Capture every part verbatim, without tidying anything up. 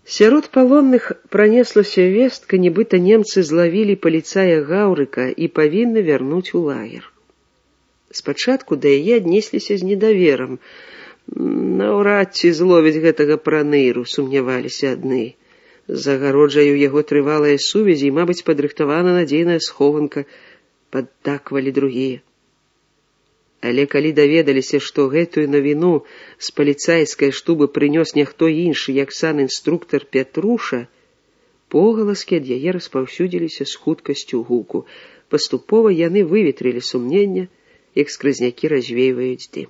Сярод палонных пронеслася вестка, нібыта немцы злавілі паліцая Гаўрыка і павінны вярнуць у лагер. Спачатку да яе аднесліся з недаверам. Наўрад ці зловіць гэтага праныру, сумняваліся адны. За агароджаю яго трывалая сувязі і, мабыць, падрыхтавана надзейная схованка, паддаквалі другія. Але калі даведаліся, што гэтую навіну з паліцайскай штубы прынёс няхто іншы, як сан-інструктар Пятруша, погаласкі ад яе распаўсюдзіліся з хуткасцю гуку. Паступова яны выветрылі сумнення, як скрызнякі развейваюць дым.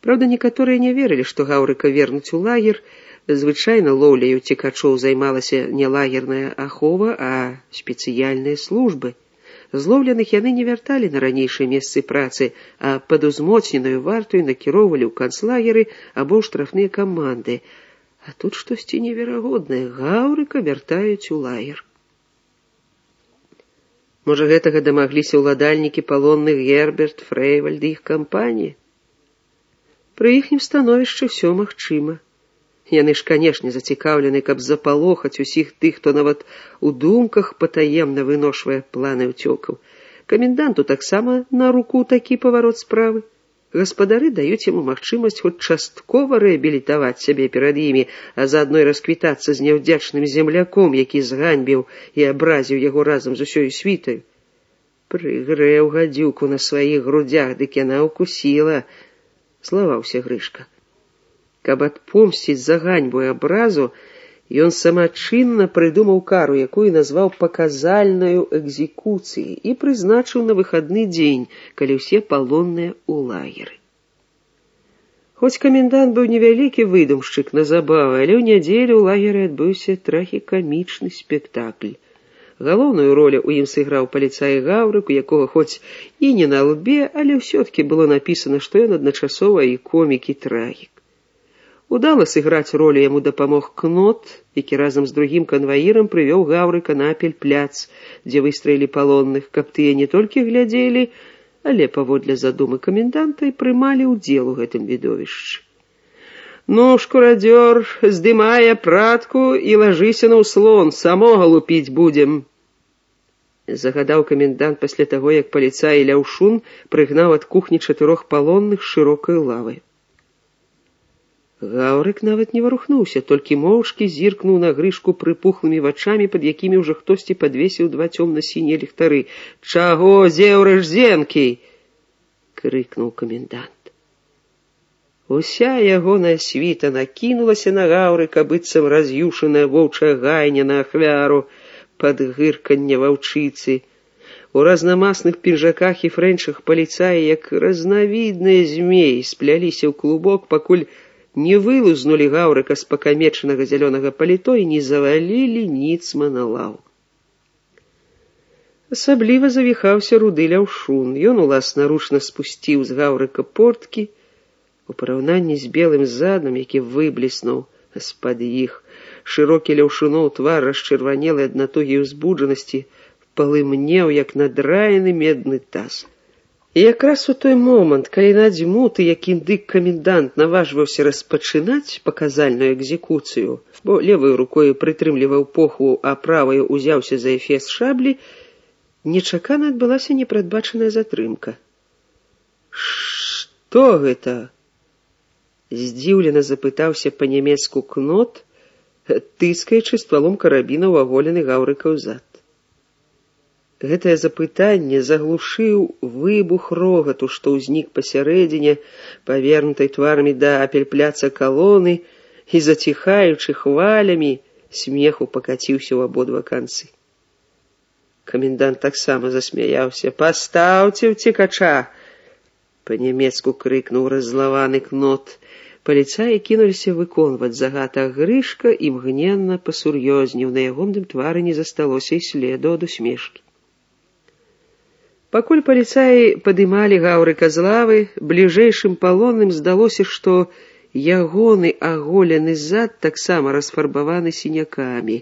Праўда, некаторыя не верылі, што Гаўрыка вернуць у лагер. Звычайна лоўляю цікачоў займалася не лагерная ахова, а спецыяльныя службы. Злоўленых яны не вярталі на ранейшыя месцы працы, а пад узмоцненую вартую накіроўвалі ў канцлагеры або ў штрафныя каманды. А тут штосьці неверагоднае. Гаўрыка вяртаюць у лагер. Можа, гэтага дамагліся ўладальнікі палонных Герберт, Фрэйвальд і іх кампаніі? Пры іхнім становішчы ўсё магчыма. Яны ж, канешне, зацікаўлены, каб запалохаць усіх тых, хто нават у думках патаемна выношвае планы ўцёкаў. Каменданту таксама на руку такі паварот справы. Гаспадары даюць яму магчымасць хоць часткова рэабілітаваць сябе перад імі, а заадно і расквітацца з няўдзячным земляком, які зганьбіў і абразіў яго разам з усёю світаю. Прыгрэў гадзюку на сваіх грудзях, дык яна ўкусіла, славаўся Грышка. Каб адпомсціць за ганьбу і абразу, ён самачынна прыдумаў кару, якую назваў паказальнаю экзекуцыяй, і прызначыў на выхадны дзень, калі ўсе палонныя ў лагеры. Хоць камендант быў невялікі выдумшчык на забавы, але ў нядзелю ў лагеры адбыўся трагікамічны спектакль. Галоўную ролю ў ім сыграў паліцай Гаўрык, у якога хоць і не на лбе, але ўсё-ткі было напісана, што ён адначасова і комік, і трагік. Удала сыграць ролю яму дапамог Кнот, які разам з другім канваірам прывёў Гаўрыка на Апельпляц, дзе выстраілі палонных, каб тыя не толькі глядзелі, але паводле задумы каменданта і прымалі ўдзел у гэтым відовішчы. «Ну, шкурадзёр, здымай апратку і лажыся на ўслон, самога лупіць будзем», загадаў камендант пасля таго, як паліцай Ляўшун прыгнаў ад кухні чатырох палонных з шырокай лавай. Гаўрык нават не варухнуўся, толькі моўчкі зіркнуў на Грышку прыпухлымі вачамі, пад якімі ўжо хтосьці падвесіў два цёмна-сінія ліхтары. «Чаго зеўрыш зенкі?» — крыкнуў камендант. Уся ягоная світа накінулася на Гаўрыка, быццам раз'юшаная воўчая гайня на ахвяру пад гырканне ваўчыцы. У разнамасных пінжаках і фрэнчах паліцаі, як разнавідныя змеі, спляліся ў клубок, пакуль не вылузнулі Гаўрыка з пакамечанага зялёнага паліто і не завалілі ніцма на лаву. Асабліва завіхаўся руды Ляўшун. Ён уласнаручна спусціў з Гаўрыка порткі. У параўнанні з белым задам, які выбліснуў з-пад іх, шырокі Ляўшуноў твар, расчырванелы ад натугі і ўзбуджанасці, палымнеў, як надраены медны таз. І якраз у той момант, калі надзьмуты, як індык камендант наважваўся распачынаць паказальную экзекуцыю, бо леваю рукою прытрымліваў похву, а праваю узяўся за эфес шаблі, нечакана адбылася непрадбачаная затрымка. «Што гэта?» — здзіўлена запытаўся па-нямецку Кнот, тыскаючы ствалом карабіна ў аголены Гаўрыка ўзад. Гэтае запытанне заглушыў выбух рогату, што ўзнік пасярэдзіне, павернутай тварамі да Апельпляца калоны, і, заціхаючы хвалямі, смеху пакаціўся ў абодва канцы. Камендант таксама засмяяўся. «Пастаўце ўцекача!» — па-нямецку крыкнуў раззлаваны Кнот. Паліцаі кінуліся выконваць загад, а Грышка імгненна пасур'ёзнеў. На ягоным твары не засталося і следу ад усмешкі. Пакуль паліцаі падымалі Гаўрыка з лавы, бліжэйшым палонным здалося, што ягоны аголены зад таксама расфарбаваны сінякамі,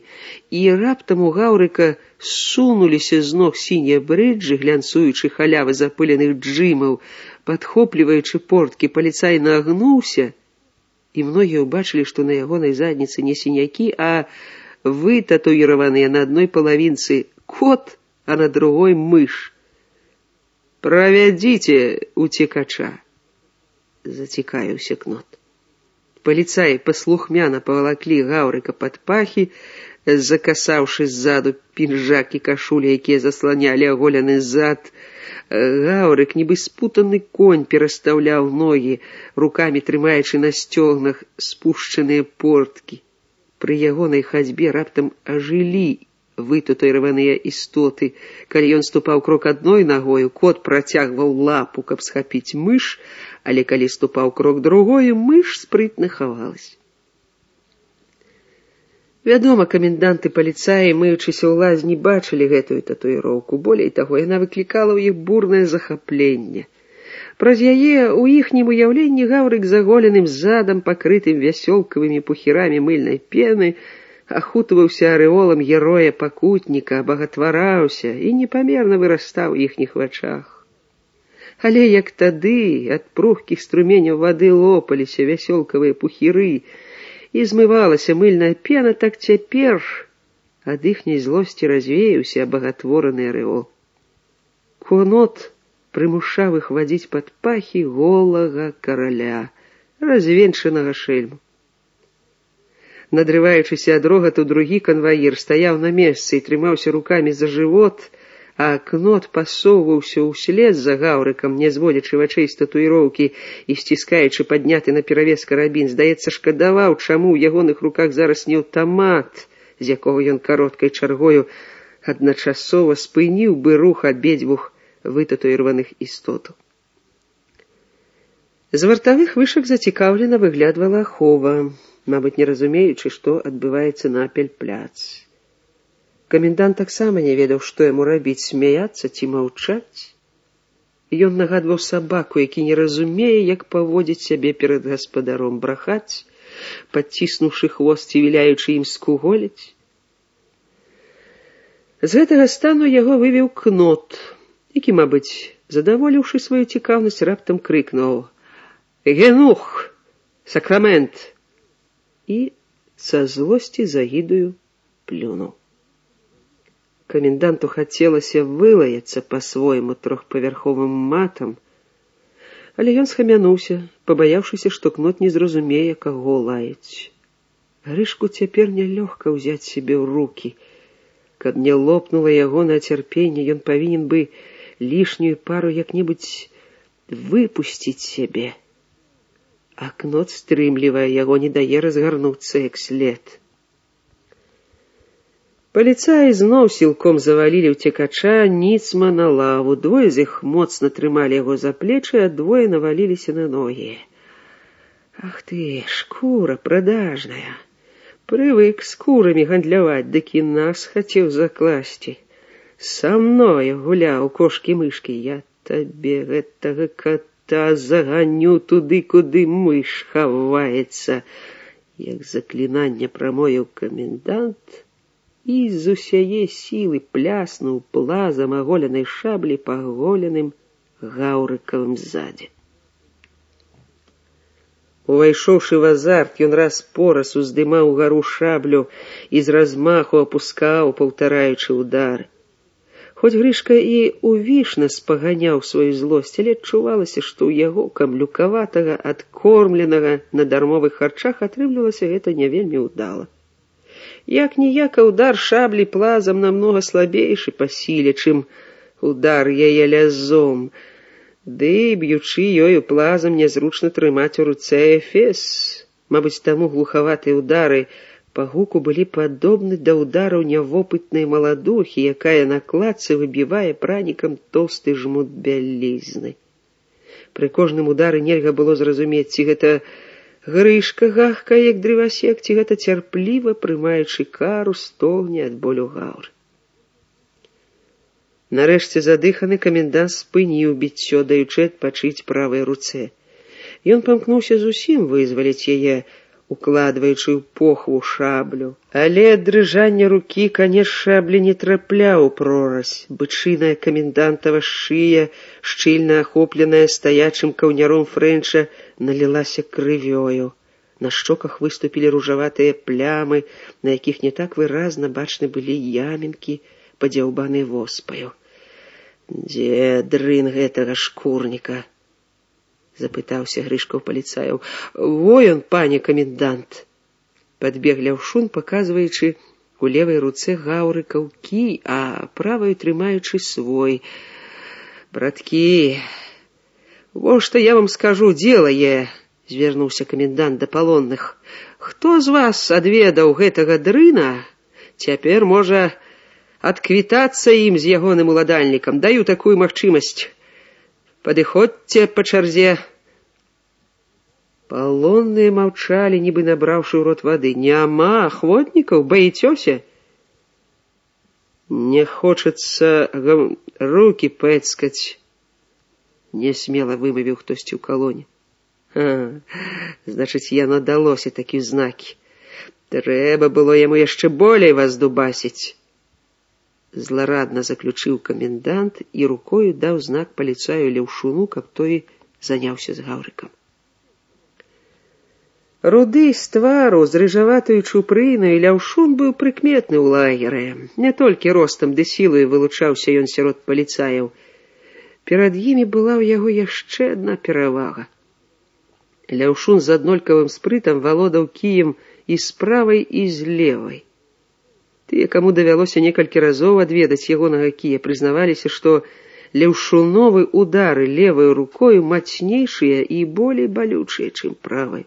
і раптам у Гаўрыка сунуліся з ног сінія брыджы, глянцуючы халявы запыленых джымаў. Падхопліваючы порткі, паліцай нагнуўся і многія ўбачылі, што на ягонай задніцы не сінякі, а вытатуіраваныя на адной палавінцы кот, а на другой мыш. «Правядзіце уцекача», — зацікавіўся Кнот. Паліцаі паслухмяна павалаклі Гаўрыка пад пахі, закасаўшы ззаду пінжак і кашуля, якія засланялі аголены зад. Гаўрык, нібы спутаны конь, перастаўляў ногі, рукамі трымаючы на сцёгнах спушчаныя порткі. Пры ягонай хадзьбе раптам ажылі вытатуіраваныя істоты. Калі ён ступаў крок адной нагою, кот працягваў лапу, каб схапіць мыш, але калі ступаў крок другою, мыш спрытна хавалась. Вядома, каменданты паліцаі, мыючыся ў лазні, бачылі гэтую татуіроўку. Болей таго, яна выклікала ў іх бурнае захапленне. Праз яе ў іхнім уяўленні Гаўрык з аголеным задам, пакрытым вясёлкавымі пухірамі мыльнай пены, ахутваўся арэолам героя-пакутніка, абагатвараўся і непамерна вырастаў у іхніх вачах. Але як тады ад прухкіх струменяў вады лопаліся вясёлкавыя пухіры і змывалася мыльная пена, так цяпер ад іхняй злосці развеяўся абагатвораны арэол. Кнот прымушаў іх вадзіць пад пахі голага караля, развенчанага шэльму. Надрываючыся ад рогату, другі канваір стаяў на месцы і трымаўся рукамі за жывот, а Кнот пасоўваўся ўслед за Гаўрыкам, не зводзячы вачэй з татуіроўкі і сціскаючы падняты наперавес карабін. Здаецца, шкадаваў, чаму ў ягоных руках зараз не аўтамат, з якога ён кароткай чаргою адначасова спыніў бы рух абедзвюх вытатуіраваных істотаў. З вартавых вышак зацікаўлена выглядвала ахова, мабыць, не разумеючы, што адбываецца на апельпляц. Камендант таксама не ведаў, што яму рабіць, смяяцца ці маўчаць. Ён нагадваў сабаку, які не разумее, як паводзіць сябе перад гаспадаром, брахаць, падціснуўшы хвост ці віляючы ім скуголіць. З гэтага стану яго вывеў Кнот, які, мабыць, задаволіўшы сваю цікаўнасць, раптам крыкнуў: «Генух! Сакрамент!» і са злосці загідаю плюнуў. Каменданту хацелася вылаяцца па-свойму трохпавярховым матам, але ён схамянуўся, пабаяўшыся, што Кнот не зразумее, каго лаяць. Грышку цяпер нялёгка ўзяць сябе ў рукі. Каб не лопнула ягонае цярпенне, ён павінен бы лішнюю пару як-небудзь выпусціць сябе. А Кнот стрымлівае яго, не дае разгарнуцца як след. Паліцаі зноў сілком завалілі ўцекача ніцма на лаву. Двое з іх моцна трымалі яго за плечы, а двое наваліліся на ногі. Ах ты, шкура прадажная! Прывык скурамі гандляваць, дык і нас хацеў закласці. Са мною гуляў кошкі-мышкі. Я табе гэтага кота заганю туды, куды мыш хаваецца. Як заклінанне прамовіў камендант і з усяе сілы пляснуў плазам аголенай шаблі па аголеным Гаўрыкавым задзе. Увайшоўшы в азарт, ён раз пораз уздымаў угару шаблю і з размаху апускаў, паўтараючы ўдары. Хоць Грышка і увішна спаганяў сваю злосць, але адчувалася, што ў яго камлюкаватага, адкормленага на дармовых харчах атрымлівалася гэта не вельмі ўдала. Як-ніяка удар шаблі плазам намнога слабейшы па сіле, чым удар яе лязом, ды, б'ючы ёю плазам, нязручна трымаць у руцэ эфес. Мабыць, таму глухаватыя ўдары па гуку былі падобны да ўдараў нявопытнай маладухі, якая на кладцы выбівае пранікам тоўсты жмут бялізны. Пры кожным удары нельга было зразумець, ці гэта Грышка гахкае, як дрывасек, ці гэта цярпліва, прымаючы кару, стогне ад болю Гаўры. Нарэшце задыханы камендант спыніў біццё, даючы адпачыць правай руцэ. Ён памкнуўся зусім вызваліць яе, укладваючы ў похву шаблю. Але ад дрыжання рукі канец шаблі не трапляў у прорась. Бычыная камендантава шыя, шчыльна ахопленая стаячым каўняром Фрэнча, налілася крывёю. На щоках выступілі ружаватыя плямы, на якіх не так выразна бачны былі ямінкі, падзяўбаны воспаю. «Дзе дрын гэтага шкурніка?» — запытаўся Грышка ў паліцаяў. «Во ён, пане камендант!» Падбег Ляўшун, паказваючы у левай руцэ гаўрыкаў кій, а праваю трымаючы свой. «Браткі, во што я вам скажу, делае!» — звярнуўся камендант да палонных. «Хто з вас адведаў гэтага дрына, цяпер можа адквітацца ім з ягоным уладальнікам. Даю такую магчымасць. Падыходзьце па чарзе». Палонныя маўчалі, нібы набраўшы ў рот вады. «Няма ахвотнікаў? Баіцёся?» «Не хочацца рукі пэцкаць», — несмела вымавіў хтосьці ў калоне. «А, значыць, яно далося такі знакі. Трэба было яму яшчэ болей вас дубасіць». Зларадна заключыў камендант і рукою даў знак паліцаю Ляўшуну, каб той заняўся з гаўрыкам. Руды з твару, з рыжаватаю чупрынаю, Ляўшун быў прыкметны ў лагеры. Не толькі ростам ды сілаю вылучаўся ён сярод паліцаяў. Перад імі была ў яго яшчэ адна перавага. Ляўшун з аднолькавым спрытам валодаў кіем і з правай, і з левай. Тыя, каму давялося некалькі разоў адведаць ягонага кія, прызнаваліся, што ляўшуновы удары леваю рукою мацнейшыя і болей балючыя, чым правай.